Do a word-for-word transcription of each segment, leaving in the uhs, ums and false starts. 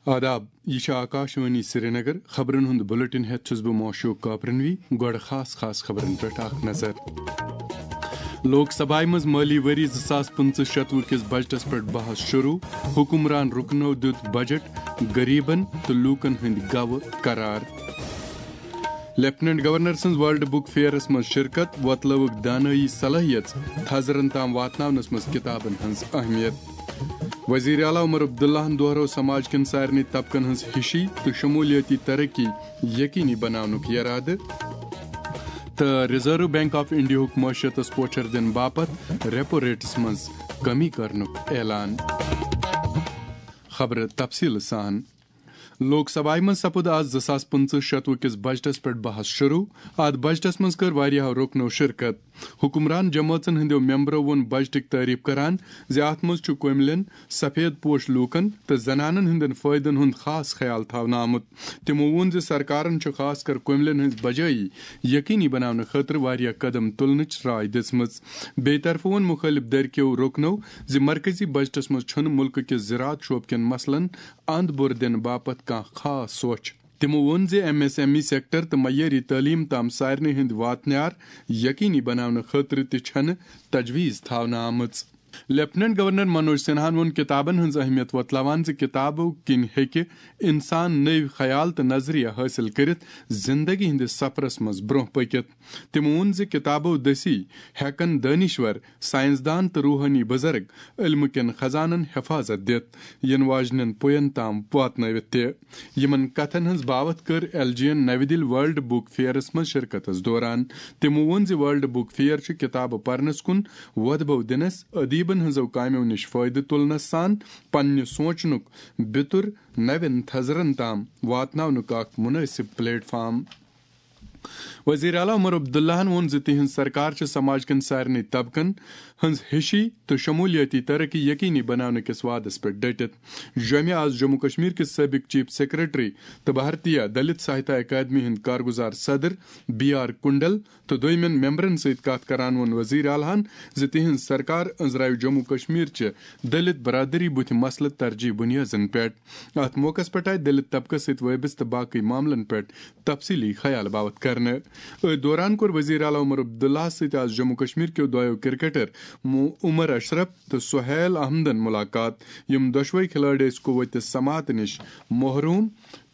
آداب، یہِ چھِ آکاشوانی سرینگر۔ خبرن ہُنٛد بلیٹن ہٮ۪تھ چھُس بہٕ موشوق کاپرنوی۔ گۄڈٕ خاص خاص خبرن پٮ۪ٹھ اکھ نظر۔ لوک سبھایہِ منٛز مٲلی ؤری زٕ ساس پٕنٛژٕہ شتوُہ کِس بجٹس پٮ۪ٹھ بحث شروع۔ حکمران رُکنو دیُت بجٹ غریبن تہٕ لوٗکن ہٕنٛدۍ گوٕ قرار۔ لیفٹیننٹ گورنر سٕنٛز ورلڈ بک فیئرس منٛز شرکت، وۄتلٲوٕکھ دانٲیی صلٲحیژ تھزرن تام واتناونس منٛز کتابن ہٕنٛز اہمیت۔ وزیر اعلیٰ عمر عبداللہن دۄہرٲو سماج کٮ۪ن سارنٕے طبقن ہٕنٛز ہِشی تہٕ شمولیٲتی ترقی یقینی بناونُک ارادٕ۔ تہٕ ریزرو بینک آف انڈیاہُک معیشتس پوچھر دِنہٕ باپتھ ریپو ریٹس منٛز کمی کرنُک اعلان۔ خبرٕ تفصیٖل سان۔ لوک سبھایہِ منٛز سپُد آز زٕ ساس پٕنٛژٕہ شتوُہ کِس بجٹس پٮ۪ٹھ بحث شروع۔ اتھ بجٹس منٛز کٔر واریاہو رُکنو شرکت۔ حکمران جمٲژن ہٕنٛدیو ممبرو ووٚن بجٹٕچ تعریف کران زِ اتھ منٛز چھُ کٔملٮ۪ن، سفید پوش لوٗکن تہٕ زنانن ہٕنٛدٮ۪ن فٲیدن ہُنٛد خاص خیال تھاونہٕ آمُت۔ تِمو ووٚن زِ سرکارن چھُ خاص کر کٔملٮ۪ن ہٕنٛز بجٲیی یقینی بناونہٕ خٲطرٕ واریاہ قدم تُلنٕچ راے دِژمٕژ۔ بیٚیہِ طرفہٕ ووٚن مُخٲلِف دھرکیو رُکنو زِ مرکزی بجٹس منٛز چھُنہٕ مُلکہٕ کِس زراعت شعبہٕ کٮ۪ن مسلن اند بُر دِنہٕ باپتھ کانٛہہ خاص سۄچھ۔ تِمو ووٚن زِ M S M E sector تہٕ معیٲری تعلیٖم تام سارنٕے ہٕنٛدۍ واتنیار یقینی بناونہٕ خٲطرٕ تہِ چھنہٕ تجویز تھاونہٕ آمٕژ۔ لیفٹیننٹ گورنر منوج سنہاہن ووٚن کتابن ہٕنٛز اہمیت وۄتلاوان زِ کتابو کِنۍ ہیٚکہِ انسان نٔوۍ خیال تہٕ نظریہ حٲصِل کٔرِتھ زندگی ہٕنٛدِس سفرس منٛز برٛونٛہہ پٔکِتھ۔ تِمو ووٚن زِ کتابو دٔسی ہیٚکن دٲنِشور، ساینسدان تہٕ روحٲنی بزرگ علمہٕ کٮ۪ن خزانن حفاظت دِتھ یِنہٕ واجنٮ۪ن پُین تام واتنٲوِتھ تہِ۔ یِمن کتھن ہٕنٛز باوتھ کٔر ایل جی یَن نَوِ دِلہِ ورلڈ بک فیئرس منٛز شرکتس دوران۔ تِمو ووٚن زِ ورلڈ بک فیئر چھُ کتابہٕ پرنس کُن وۄدبو دِنس، ادیبن ہٕنٛزو کامیو نِش فٲیدٕ تُلنس سان پننہِ سونچنُک بِتُر نوٮ۪ن تھزرن تام واتناونُک اکھ مناسب پلیٹ فارم۔ وزیر اعلیٰ عمر عبداللہن ووٚن زِ تِہنٛز سرکار چھِ سماج کٮ۪ن سارنٕے طبقن ہٕنٛز ہِشی تہٕ شمولیٲتی ترقی یقینی بناونہٕ کِس وعدس پٮ۪ٹھ ڈٔٹِتھ۔ جوٚمہِ آز جموں کشمیر کِس سٲبق چیف سیکرٹری تہٕ بھارتیہ دلت ساہتیہ اکادمی ہٕنٛدۍ کارگزار صدر بی آر کنڈل تہٕ دوٚیمٮ۪ن ممبرن سۭتۍ کتھ کران ووٚن وزیر اعلیٰ ہن زِ تِہنٛز سرکار أنٛزراوِ جموں کشمیر چہِ دلت برادری بُتھِ مسلہٕ ترجیح بنیادن پٮ۪ٹھ۔ اتھ موقعس پٮ۪ٹھ آیہِ دلت طبقس سۭتۍ وٲبستہٕ باقٕے معاملن پٮ۪ٹھ تفصیلی خیال باوتھ کرنہٕ۔ أتھۍ دوران کوٚر وزیر اعلیٰ عمر عبداللہ سۭتۍ آز جموں کشمیر کیو دۄیو کرکٹر مو-، عمر اشرف تہٕ سہیل احمدن ملاقات، یِم دۄشوے کھلٲڑۍ ٲسۍ قوت سماعت نِش محروم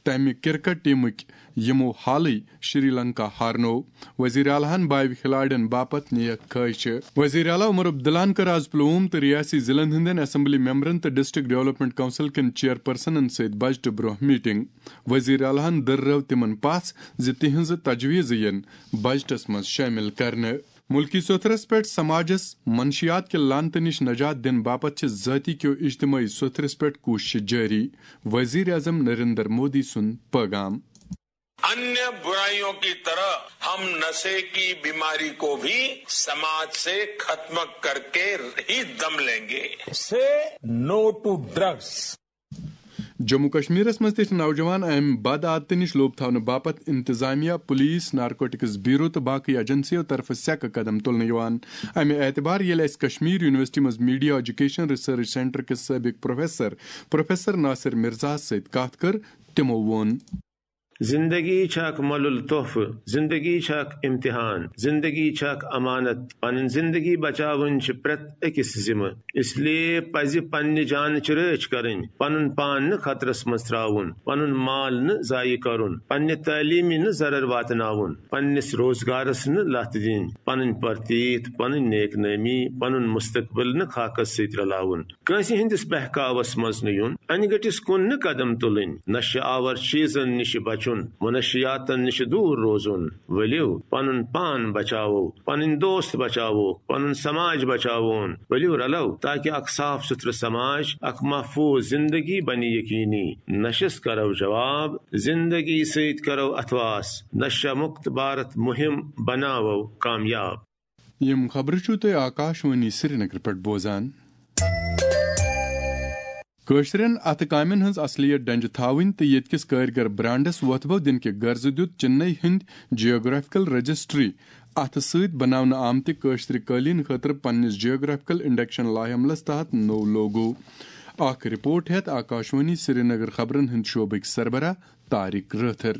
تمہِ کرکٹ ٹیمٕکۍ یِمو حالٕے شری لنکا ہارنوو۔ وزیر اعلیٰ ہن باوِ کھلاڑٮ۪ن باپتھ نیک خواہشہِ۔ وزیر اعلیٰ عمر عبداللہن کٔر آز پلووم تہٕ ریاستی ضلعن ہٕنٛدٮ۪ن اسمبلی ممبرن تہٕ ڈسٹرکٹ ڈیولپمنٹ کونسل کٮ۪ن چیئرپرسنن سۭتۍ بجٹہٕ برونٛہہ میٹنگ۔ وزیر اعلیٰ ہن دٔررٲو تِمن پژھ زِ تِہنٛزٕ تجویزٕ یِن بجٹس منٛز شٲمِل کرنہٕ۔ مُلکی سوٚتھرس پٮ۪ٹھ سماجس منشیات کہِ لعنتہٕ نِش نجات دِنہٕ باپتھ چھِ ذٲتی کیو اجتمٲعی سوٚتھرس پٮ۪ٹھ کوٗششہٕ جٲری، وزیر اعظم نریندر مودی سُنٛد پٲغام۔ अन्य बुराइयों की तरह हम नशे की बीमारी को भी समाज से खत्म करके ही दम लेंगे। Say no to drugs. Jammu کشمیرس منٛز تہِ چھِ نوجوان امہِ بد عادتہٕ نِش لوٚب تھاونہٕ باپتھ انتظامیہ، پولیس، نارکوٹکس بیورو تہٕ باقٕے ایجنسیو طرفہٕ سیٚکہٕ قدم تُلنہٕ یِوان۔ امہِ اعتبار ییٚلہِ اسہِ کشمیر یونیورسٹی منٛز میڈیا ایجوکیشن ریسرچ سینٹر کِس سٲبق پروفیسر پروفیسر ناصر مرزاہس سۭتۍ کتھ کٔر، تِمو ووٚن۔ زندگی چھےٚ اکھ مۄلُل تحفہٕ، زندگی چھےٚ اکھ امتحان، زندگی چھےٚ اکھ امانت۔ پنٕنۍ زندگی بچاوٕنۍ چھِ پرٛٮ۪تھ أکِس ذمہٕ۔ اس لیے پزِ پننہِ جانٕچ رٲچھ کرٕنۍ، پنُن پان نہٕ خطرس منٛز تراوُن، پنُن مال نہٕ ضایع کرُن، پننہِ تعلیٖمہِ نہٕ ضرر واتناوُن، پننِس روزگارس نہٕ لتھ دِنۍ، پنٕنۍ پرتیت، پنٕنۍ نیک نٲمی، پنُن مستقبل نہٕ خاکس سۭتۍ رلاوُن۔ کٲنٛسہِ ہٕنٛدِس بہکاوس منٛز نہٕ یُن، انہِ گٔٹِس کُن نہٕ قدم تُلٕنۍ، نشہٕ آور چیٖزن نِش بچُن، منشیاتن نِش دوٗر روزُن۔ ؤلِو پنُن پان بچاوو، پنٕنۍ دوست بچاووکھ، پنُن سماج بچاوون۔ ؤلِو رلو تاکہ اکھ صاف سُتھرٕ سماج، اکھ محفوظ زندگی بنہِ یقینی۔ نشس کرو جواب، زندگی سۭتۍ کرو اتھواس، نشہ مکت بھارت مہم بناوو کامیاب۔ یِم خبرٕ چھِو تُہۍ آکاشوانی سرینگر پٮ۪ٹھ بوزان۔ کٲشرٮ۪ن اَتھٕ کامٮ۪ن ہٕنٛز اصلیت ڈنجہِ تھاوٕنۍ تہٕ ییٚتہِ کِس کٲرۍگر برانڈس وۄتھٕ بو دِنہٕ کہِ غرضہٕ دیُت چنئی ہٕنٛدۍ جیوگرافیکل رجسٹری اَتھٕ سۭتۍ بناونہٕ آمتہِ کٲشرِ قٲلیٖن خٲطرٕ پننِس جیوگرافیکل انڈیکشن لایحہ عملس تحت نوٚو لوگو۔ اکھ رپورٹ ہیتھ آکاشوانی سرینگر خبرن ہند شعبٕکۍ سربراہ طارق رٲتھر۔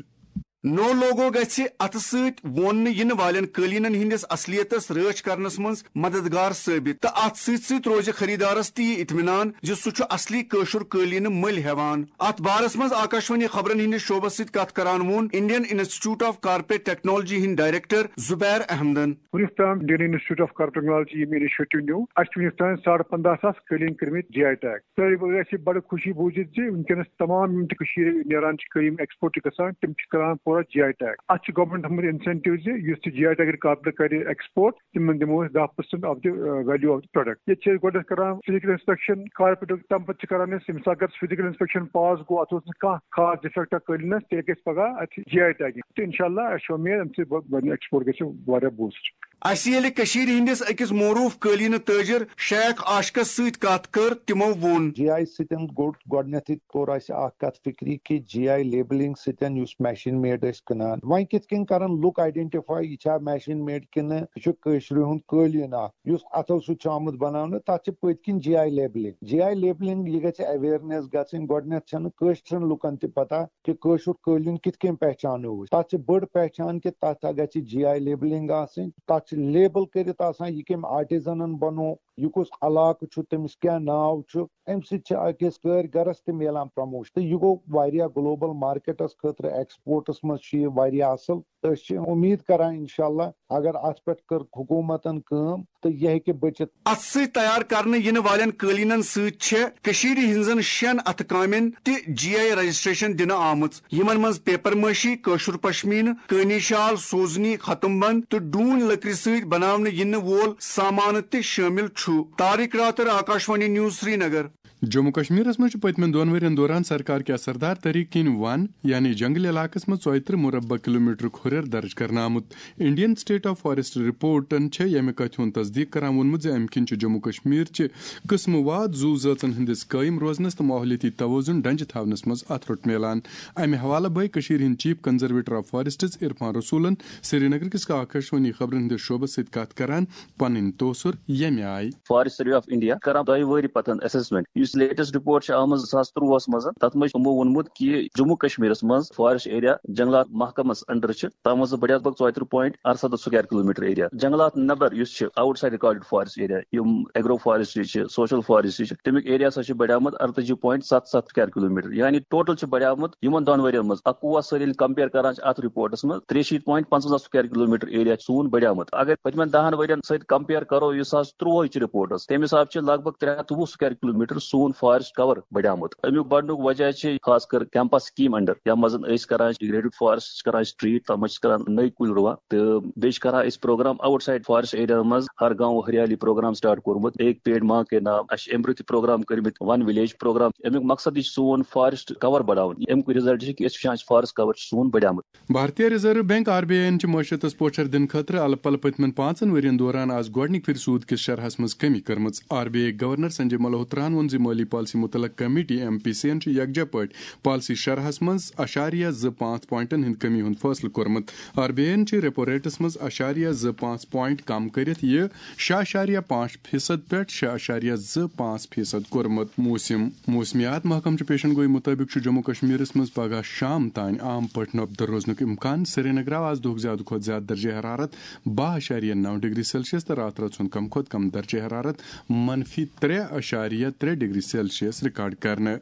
نو لوگو گژھِ اتھٕ سۭتۍ ووننہٕ ینہٕ والٮ۪ن قٲلیٖنن ہٕنٛدِس اصلیتس رٲچھ کرنس منٛز مددگار ثٲبت، تہٕ اتھ سۭتۍ سۭتۍ روزِ خریدارس تہِ یہِ اطمینان زِ سُہ چھُ اصلی کٲشُر قٲلیٖنہٕ مٔلۍ ہٮ۪وان۔ اتھ بارس منٛز آکاشوانی خبرن ہٕنٛدِس شعبس سۭتۍ کتھ کران ووٚن Indian institute of corporate technology ہٕنٛدۍ ڈائریکٹر زبیر احمدن۔ وُنیُک تام Indian institute of corporate technology ییٚمہِ initiative نیوٗ، اَسہِ چھِ وُنیُک تام ساڑٕ پنٛداہ ساس قٲلیٖن کٔرمٕتۍ جی آئی ٹیگ۔ تہٕ اَسہِ چھِ بڑٕ خوشی بوٗزِتھ زِ وٕنکیٚنَس تمام یِم تہِ کٔشیٖرِ نیران چھِ قٲلیٖن، ایکسپورٹ چھِ گژھان، تِم چھِ کران پوٗرٕ جی آئی ٹیگ۔ اَتھ چھِ گورنمنٹ تھوٚمُت انسینٹیو زِ یُس تہِ جی آئی ٹیگ کارپوریٹ کرِ ایکسپورٹ، تِمن دِمو أسۍ دَہ percent of the value of the product۔ ییٚتہِ چھِ أسۍ گۄڈٕنٮ۪تھ کران فزیکل انسپیکشن کارپوریٹُک، تَمہِ پَتہٕ چھِ کران أسۍ، ییٚمہِ ساتہٕ اگر فزیکل انسپیکشن پاس گوٚو، اَتھ اوس نہٕ کانٛہہ خاص ڈیفیکٹا قٲلیٖنَس، تیٚلہِ گژھِ پگاہ اَتھ جی آئی ٹیگنگ۔ تہٕ انشاءاللہ اَسہِ چھِ اُمید اَمہِ سۭتۍ بَ-، بَنہِ ایکسپورٹ گژھِ واریاہ بوٗسٹ۔ اَسہِ ییٚلہِ کٔشیٖرِ ہٕنٛدِس أکِس معروٗف قٲلیٖنہٕ تٲجِر شیخ عاشقس سۭتۍ کتھ کٔر، تِمو ووٚن۔ جی آئی سۭتۍ گوٚو گۄڈٕنیتھٕے کوٚر اَسہِ اکھ کتھ فکری کہِ جی آئی لیبلنگ سۭتۍ یُس مشیٖن میڈ ٲسۍ کٕنان، وۄنۍ کِتھ کٔنۍ کرن لُکھ آئیڈینٹیفائی یہِ چھا مشیٖن میڈ کِنہٕ یہِ چھُ کٲشرِ ہُنٛد قٲلیٖن اکھ یُس اَتھو سۭتۍ چھُ آمُت بناونہٕ، تَتھ چھِ پٔتۍ کِنۍ G I labelling. G I labelling یہِ گژھِ اویئرنیس گژھٕنۍ، گۄڈٕنیتھ چھنہٕ کٲشرٮ۪ن لُکن تہِ پتہ کہِ کٲشُر قٲلیٖن کِتھ کٔنۍ پہچانو أسۍ۔ تَتھ چھِ بٔڑ پہچان کہِ تَتھ گژھِ جی آئی لیبلنگ آسٕنۍ، تَتھ چھِ لیبل کٔرِتھ آسان یہِ کٔمۍ آرٹیزنن بنوو، یہِ کُس علاقہٕ چھُ، تٔمِس کیٛاہ ناو چھُ۔ اَمہِ سۭتۍ چھِ أکِس کٲرۍ گرس تہِ میلان پروموشن۔ تہٕ یہِ گوٚو واریاہ گلوبل مارکیٹس خٲطرٕ، ایکسپورٹس منٛز چھُ یہِ واریاہ اصل۔ تہٕ أسۍ چھِ اُمید کران انشاءاللہ اگر اتھ پٮ۪ٹھ کٔر حکوٗمتن کٲم تہٕ یہِ ہیٚکہِ بٔچِتھ۔ اتھ سۭتۍ تیار کرنہٕ ینہٕ والٮ۪ن قٲلیٖنن سۭتۍ چھےٚ کٔشیٖرِ ہٕنٛزن شٮ۪ن اتھٕ کامٮ۪ن تہِ جی آئی رجسٹریشن دِنہٕ آمٕژ، یِمن منٛز پیپر مٲشی، کٲشُر پشمیٖنہٕ، کٲنی شال، سوزنی، ختم بند تہٕ ڈوٗنۍ لٔکرِ سۭتۍ بناونہٕ ینہٕ وول سامانہٕ تہِ شٲمِل چھُ۔ طارق راتر، آکاشوانی نیوز، سرینگر۔ جموں کشمیرس منٛز چھُ پٔتمٮ۪ن دۄن ؤرین دوران سرکار کہِ اثردار طریقہٕ کِنۍ ون، یعنی جنگل علاقس منٛز ژۄیہِ ترٕہ مربع کلومیٹرُک ہُرٮ۪ر درج کرنہٕ آمُت۔ انڈین سٹیٹ آف فاریسٹ رپورٹن چھےٚ ییٚمہِ کتھِ ہُنٛد تصدیق کران ووٚنمُت زِ امہِ کِنۍ چھُ جموں کشمیر چہِ قٕسمہٕ واد زُو زٲژن ہٕنٛدِس قٲیِم روزنس تہٕ ماحولیٲتی توازن ڈنجہِ تھاونس منٛز اتھٕ روٚٹ میلان۔ امہِ حوالہٕ بٲے کٔشیٖرِ ہٕنٛدۍ چیف کنزرویٹر آف فاریسٹس عرفان رسولن سرینگر کِس آکاشوانی خبرن ہٕنٛدِس شعبس سۭتۍ کتھ کران پنٕنۍ توثر ییٚمہِ آیہِ۔ فاریسٹ سروے آف انڈیا کران دۄیہِ وٕہٕرِ پتہٕ اسسمنٹ، یُس لیٹسٹ رپورٹ چھِ آمٕژ زٕ ساس ترٛۆہَس منٛز، تتھ منٛز چھُ یِمو ووٚنمُت کہِ جموں کشمیرس منٛز فاریسٹ ایریا جنگلات محکمس انڈر چھِ، تتھ منٛز چھِ بڑیومُت ژۄیہِ ترٕہ point ارسَتتھ square kilometre area۔ جنگلات نٮ۪بر یُس چھِ out side recorded forest area, یِم ایگرو فاریسٹری چھِ، سوشل فاریسٹری چھِ، تمیُک ایریا ہسا چھُ بڑیومُت ارتٲجی point ستھ ستھ square kilometre۔ یعنی ٹوٹل چھِ بڑیومُت یِمن دۄن ؤرین منٛز اکوُہس سۭتۍ ییٚلہِ کمپیئر کران چھِ اتھ رپورٹس منٛز، ترٛیہِ شیٖتھ point پنٛژونٛزاہ square kilometre area چھُ سون بڑیومُت۔ اگر پٔتمٮ۪ن دہن ؤرین سۭتۍ کمپیئر کرو زٕ ساس ترٛۆہٕچ رپورٹس، تمہِ حساب چھِ لگ بگ ترٛےٚ ہتھ تہٕ وُہ square kilometre سون فاریسٹ کور بڑیومُت۔ امیُک بڑنُک وجہ چھِ خاص کر کیمپس سکیٖم انڈر، یتھ منٛز أسۍ کران چھِ ڈیگریڈڈ فاریسٹ، کران چھِ ٹریٹ، تتھ منٛز چھِ کران نٔوۍ کُلۍ رُوان۔ تہٕ بیٚیہِ چھِ کران أسۍ programme outside forest area منٛز، ہر گاؤں ہریالی پروگرام سٹارٹ کوٚرمُت، ایک پیڑ ماں کے نام۔ اَسہِ چھِ امہِ برٛونٛہہ تہِ پروگرام کٔرمٕتۍ ون ولیج پروگرام۔ امیُک مقصد تہِ چھُ سون فاریسٹ کور بڑاوُن۔ امیُک رزلٹ چھُ کہِ أسۍ وٕچھان چھِ فاریسٹ کور چھُ سون بڑیومُت۔ Bharatiya reserve bank, R B I یَن چھِ معیشتس پوچھر دِنہٕ خٲطرٕ الہٕ پلہٕ پٔتمٮ۪ن پانٛژن ؤرین دوران آز گۄڈٕنِکۍ پھِرِ سوٗد کِس شرحس منٛز کمی کٔرمٕژ۔ R B I governor Sanjay ملہوتراہن ووٚن زِ مٲلی پالیسی متعلق کمیٹی، ایم پی سی یَن چھُ یکجا پٲٹھۍ پالیسی شرحس منٛز اعشاریہ زٕ پانٛژھ پوائنٹن ہٕنٛدِ کمی ہُنٛد فٲصلہٕ کوٚرمُت۔ آر بی آئی یَن چھِ ریپو ریٹس منٛز اعشاریہ زٕ پانٛژھ پوائنٹ کم کٔرِتھ یہِ شےٚ اعشاریہ پانٛژھ فیصد پٮ۪ٹھ شےٚ اعشاریہ زٕ پانٛژھ فیصد کوٚرمُت۔ موسم۔ موسمیات محکمہٕ چہِ پیشن گوئی مُطٲبِق چھُ جموں کشمیرس منٛز پگہہ شام تام عام پٲٹھۍ نۄپدٕ روزنُک امکان۔ سرینگر آو آز دۄہُک زیادٕ کھۄتہٕ زیادٕ درجہ حرارت باہ اعشاریہ نو ڈگری سیلسیس تہٕ راتہٕ رٲژ ہُنٛد کم کھۄتہٕ کم درجہ حرارت منفی ترٛےٚ اعشاریہ ترٛےٚ ڈگری سیلسیس ریکارڈ کرنہٕ۔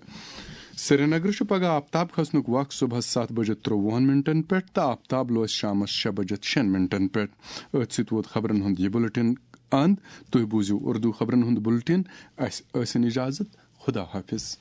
سرینگر چھُ پگہہ آفتاب کھسنُک وق صبحس ستھ بجے ترٛۆوُہن منٹن پٮ۪ٹھ تہٕ آفتاب لوس شامس شےٚ بجے شیٚن منٹن پٮ۪ٹھ۔ أتھۍ سۭتۍ ووت خبرن ہُنٛد یہِ بُلٹن اند۔ تُہۍ بوٗزِو اردو خبرن ہُنٛد بُلٹن۔ اسہِ ٲسِن اجازت۔ خدا حافظ۔